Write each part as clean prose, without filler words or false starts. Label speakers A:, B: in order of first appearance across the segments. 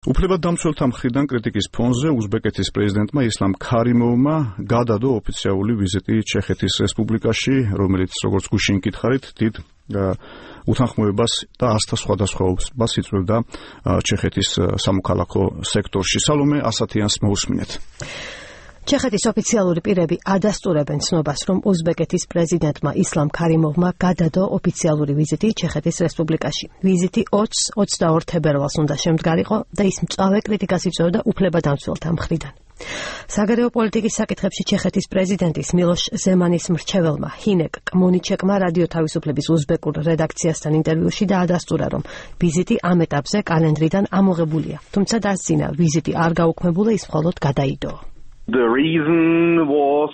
A: უფლებადამცველთა მხრიდან კრიტიკის ფონზე უზბეკეთის პრეზიდენტმა ისლამ ქარიმოვმა გადადო ოფიციალური ვიზიტი ჩეხეთის რესპუბლიკაში, რომელიც როგორც გუშინ გითხარით, დიდ უთანხმოებას და ასთა სხვადასხვაობას იწვევდა ჩეხეთის სამოქალაქო სექტორში. სალომე ასათიანს მოусმინეთ.
B: ჩეხეთის ოფიციალური პირები ადასტურებენ ცნობას, რომ უზბეკეთის პრეზიდენტმა ისლამ ქარიმოვმა გადადო ოფიციალური ვიზიტი ჩეხეთის რესპუბლიკაში. ვიზიტი 20-22 თებერვალს უნდა შემდგარიყო და ის მწვავე კრიტიკას იწვევდა უფლებადამცველთა მხრიდან. საგარეო პოლიტიკის საკითხებში ჩეხეთის პრეზიდენტის მილოშ ზემანის მრჩეველმა ჰინეკ კმონიჩეკმა რადიო თავისუფლების უზბეკურ რედაქციასთან ინტერვიუში დაადასტურა, რომ ვიზიტი ამ ეტაპზე კალენდრიდან ამოღებულია, თუმცა დასძინა ვიზიტი არ გაუქმებულა, ის მხოლოდ გადაიდო.
C: The reason was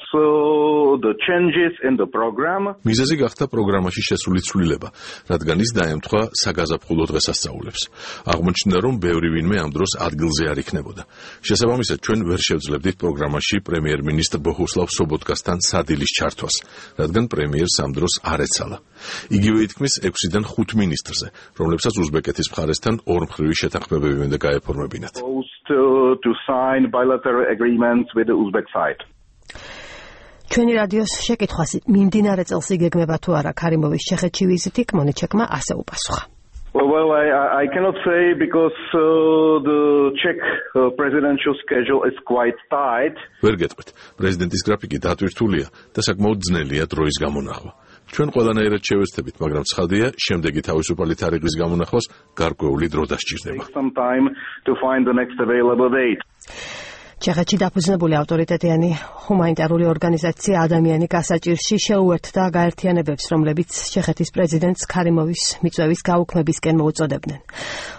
C: the changes in the program.
D: მიზეზი გახდა პროგრამაში შესული ცვლილება, რადგან ის დაემთხვა საგაზაფხულო დღესასწაულებს. აღმოჩნდა, რომ ბევრი ვინმე ამ დროს ადგილზე არ იქნებოდა. შესაბამისად, ჩვენ ვერ შევძლებდით პროგრამაში პრემიერ-მინისტრ ბოჰუსლავ სობოტკასთან სადილის ჩართვას, რადგან პრემიერს ამ დროს არ ეცალა. იგივე ითქმის 6-დან 5 მინისტრზე, რომლებსაც უზბეკეთის მხარესთან ორმხრივი შეთანხმებები უნდა გაეფორმებინათ.
C: To sign bilateral agreements with the Uzbek side.
B: ჩვენი რადიოს შეკითხვას მიმდინარე წელს იგეგმება თუ არა ქარიმოვის ჩეხეთში ვიზიტი, კმონიჩეკმა ასე უპასუხა.
C: Well, I cannot say because the Czech presidential schedule is quite tight.
D: ვერ გეტყვით, პრეზიდენტის გრაფიკი დატვირთულია და საკმაოდ ძნელია დროის გამონახვა. ჩვენ ყველანაირად შევეცდებით, მაგრამ ცხადია, შემდეგი თავისუფალი თარიღის გამონახვას გარკვეული დრო დასჭირდება.
C: Some time to find the next available date.
B: ჩეხეთში დაფუძნებული ავტორიტეტიანი ჰუმანიტარული ორგანიზაცია ადამიანი გასაჭირში შეუერთდა გაერთიანებებს, რომლებიც ჩეხეთის პრეზიდენტს ქარიმოვის მიწვევის გაუქმებისკენ მოუწოდებდნენ.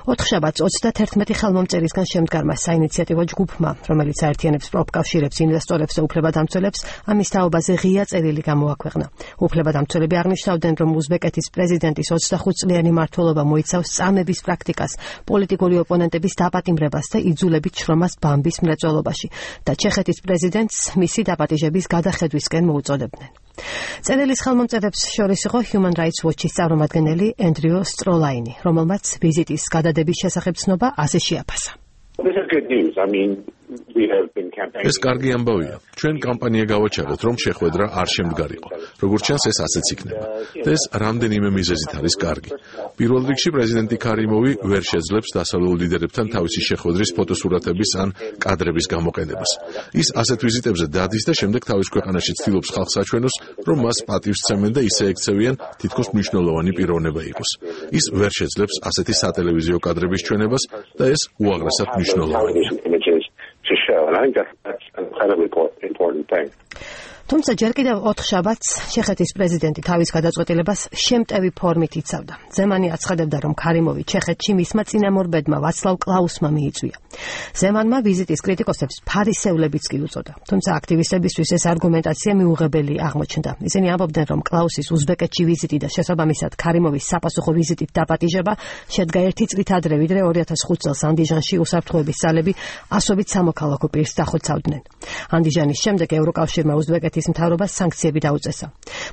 B: ოთხშაბათს 31 ხელმომწერისგან შემდგარმა საინიციატივო ჯგუფმა, რომელიც აერთიანებს პროფკავშირებს, ინვესტორებს და უფლებადამცველებს, ამის თაობაზე ღია წერილი გამოაქვეყნა. უფლებადამცველები აღნიშნავდნენ, რომ უზბეკეთის პრეზიდენტის 25 წლიანი მმართველობა მოიცავს წამების პრაქტიკას, პოლიტიკური ოპონენტების დაპატიმრებას და იძულებით შრომას ბამბის მრეწველობაში და ჩეხეთის პრეზიდენტს მისი დაპატიჟების გადახედვისკენ მოუწოდებდნენ. წერილის ხელმომწერებს შორის იყო Human Rights Watch-ის წარმომადგენელი ენდრიუ სტროლაინი, რომელმაც ვიზიტის გადადების შესახებ ცნობა ასე შეაფასა.
D: ეს კარგი ამბავია. ჩვენ კამპანია გავაჩაღეთ, რომ შეხვედრა არ შემდგარიყო. როგორც ჩანს, ეს ასეც იქნება. და ეს რამდენიმე მიზეზით არის კარგი. პირველ რიგში პრეზიდენტი ქარიმოვი ვერ შეძლებს დასავლელ ლიდერებთან თავისი შეხვედრის ფოტოსურათების ან კადრების გამოყენებას. ის ასეთ ვიზიტებზე დადის და შემდეგ თავის ქვეყანაში ცდილობს ხალხს აჩვენოს, რომ მას პატივს სცემენ და ისე ექცევიან, თითქოს მნიშვნელოვანი პიროვნება იყოს. ის ვერ შეძლებს ასეთი სატელევიზიო კადრების ჩვენებას და ეს უაღრესად მნიშვნელოვანია.
B: თუმცა ჯერ კიდევ 4 შაბათს ჩეხეთის პრეზიდენტი თავის გადაწყვეტილებას შემტევი ფორმით იცავდა. ზემანი აცხადებდა, რომ ქარიმოვი ჩეხეთში მისმა წინამორბედმა ვაცლავ კლაუსმა მიიწვია. ზემანმა ვიზიტის კრიტიკოსებს ფარისევლებიც კი უწოდა. თუმცა აქტივისტებისთვის ეს არგუმენტაცია მიუღებელი აღმოჩნდა. ისინი ამბობდნენ, რომ კლაუსის უზბეკეთში ვიზიტი და შესაბამისად ქარიმოვის საპასუხო ვიზიტით დაპატიჟება შედგა 1 წლით ადრე, ვიდრე 2005 წელს ანდიჟანში უსაფრთხოების ძალები ასობით სამოქალაქო პირს დახოცავდნენ. ანდიჟანის შემდეგ ევროკავშირმა უზბეკეთის მთავრობას სანქციები დაუწესა.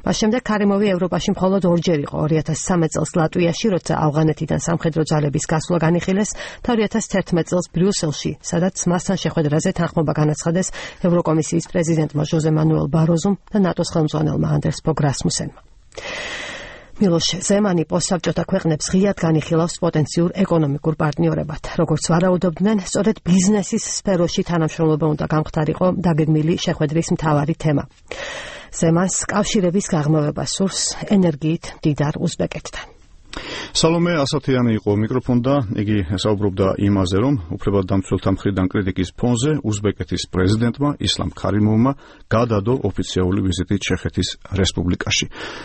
B: მას შემდეგ ქარიმოვი ევროპაში მხოლოდ ორჯერ იყო, 2013 წელს ლატვიაში, როცა ავღანეთიდან სამხედრო ძალების გასვლა განიხილეს, და 2011 წელს ბრიუსელში, სადაც მასთან შეხვედრაზე თანხმობა განაცხადეს ევროკომისიის პრეზიდენტმა ჟოზე მანუელ ბაროზუმ და ნატოს ხელმძღვანელმა ანდერს ბოგ რასმუსენმა. მილოშ ზემანი პოსტსაბჭოთა ქვეყნებს ღიად განიხილავს პოტენციურ ეკონომიკურ პარტნიორებად. როგორც ვარაუდობდნენ, სწორედ ბიზნესის სფეროში თანამშრომლობა უნდა გამხდარიყო დაგეგმილი შეხვედრის მთავარი თემა. ზემანს კავშირების გაღრმავება სურს ენერგიით მდიდარ უზბეკეთთან.
A: სალომე ასათიანი იყო მიკროფონ და იგი საუბრობდა იმაზე, რომ უფლებადამცველთა მხრიდან კრიტიკის ფონზე უზბეკეთის პრეზიდენტმა ისლამ ქარიმოვმა გადადო ოფიციალური ვიზიტი ჩეხეთის რესპუბლიკაში.